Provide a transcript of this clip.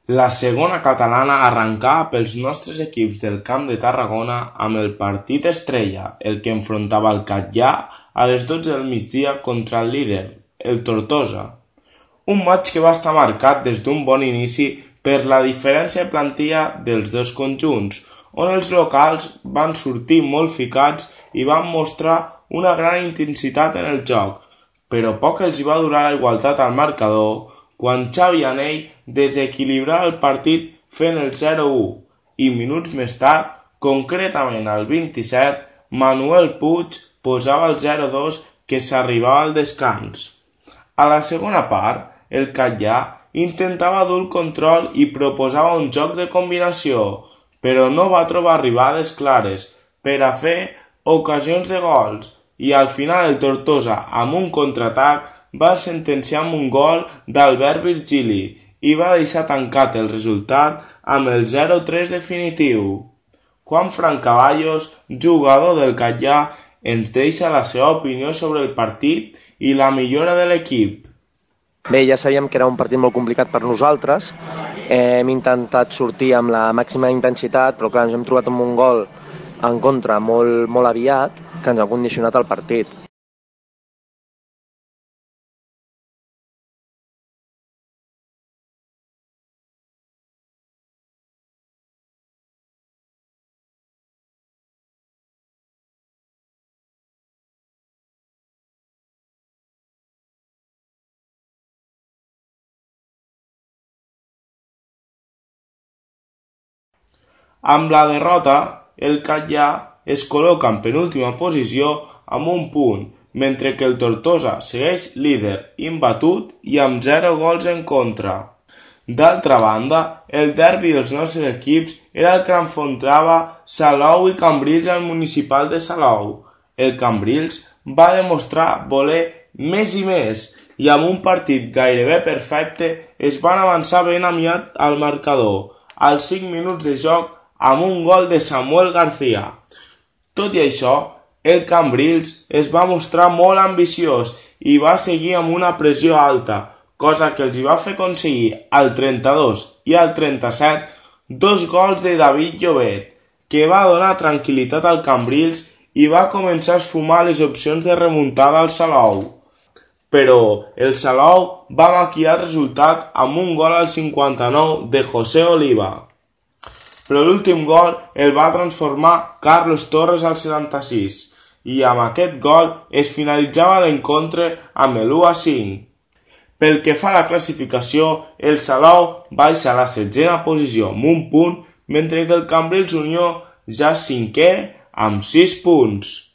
La segona catalana arrencava pels nostres equips del Camp de Tarragona amb el partit estrella, el que enfrontava el Catllà a les 12 del migdia contra el líder, el Tortosa. Un maig que va estar marcat des d'un bon inici per la diferència de plantilla dels dos conjunts, on els locals van sortir molt ficats i van mostrar una gran intensitat en el joc, però poc els hi va durar la igualtat al marcador quan Xavi Anell desequilibrava el partit fent el 0-1 i minuts més tard, concretament al 27, Manuel Puig posava el 0-2 que s'arribava al descans. A la segona part, el Catllà intentava dur el control i proposava un joc de combinació, però no va trobar arribades clares per a fer ocasions de gols i al final el Tortosa, amb un contraatac, va sentenciar amb un gol d'Albert Virgili i va deixar tancat el resultat amb el 0-3 definitiu. Juan Fran Caballos, jugador del Catllà, ens deixa la seva opinió sobre el partit i la millora de l'equip. Bé, ja sabíem que era un partit molt complicat per nosaltres. Hem intentat sortir amb la màxima intensitat, però clar, ens hem trobat amb un gol en contra molt aviat que ens ha condicionat el partit. Amb la derrota, el Catllà es col·loca en penúltima posició amb un punt, mentre que el Tortosa segueix líder imbatut i amb 0 gols en contra. D'altra banda, el derbi dels nostres equips era el que enfrontava Salou i Cambrils al Municipal de Salou. El Cambrils va demostrar voler més i més i amb un partit gairebé perfecte es van avançar ben aviat al marcador, als 5 minuts de joc amb un gol de Samuel García. Tot i això, el Cambrils es va mostrar molt ambiciós i va seguir amb una pressió alta, cosa que els va fer aconseguir al 32 i al 37 2 gols de David Llobet, que va donar tranquil·litat al Cambrils i va començar a esfumar les opcions de remuntada al Salou. Però el Salou va maquillar el resultat amb un gol al 59 de José Oliva. Però l'últim gol el va transformar Carlos Torres al 76 i amb aquest gol es finalitzava l'encontre amb l'1-5. Pel que fa a la classificació, el Salou baixa a la 7ª posició amb un punt, mentre que el Cambrils Unió ja és 5è amb 6 punts.